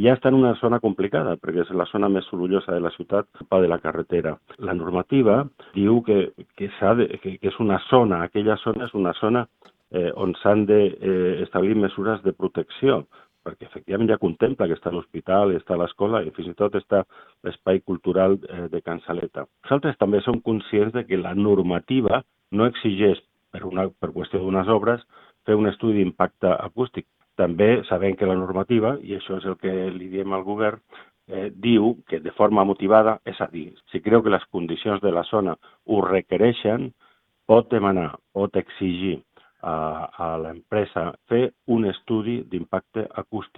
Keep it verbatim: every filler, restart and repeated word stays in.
ja està en una zona complicada, perquè és la zona més sorollosa de la ciutat, pa de la carretera. La normativa diu que, que, de, que, que és una zona, aquella zona és una zona eh, on s'han d'establir eh, mesures de protecció, perquè efectivament ja contempla que està l'hospital, està l'escola i fins i tot està l'espai cultural eh, de Can Saleta. Nosaltres també som conscients de que la normativa no exigeix, per, una, per qüestió d'unes obres, fer un estudi d'impacte acústic. També sabem que la normativa, i això és el que li diem al govern, eh, diu que de forma motivada, és a dir, si creu que les condicions de la zona ho requereixen, pot demanar, pot exigir a, a l'empresa fer un estudi d'impacte acústic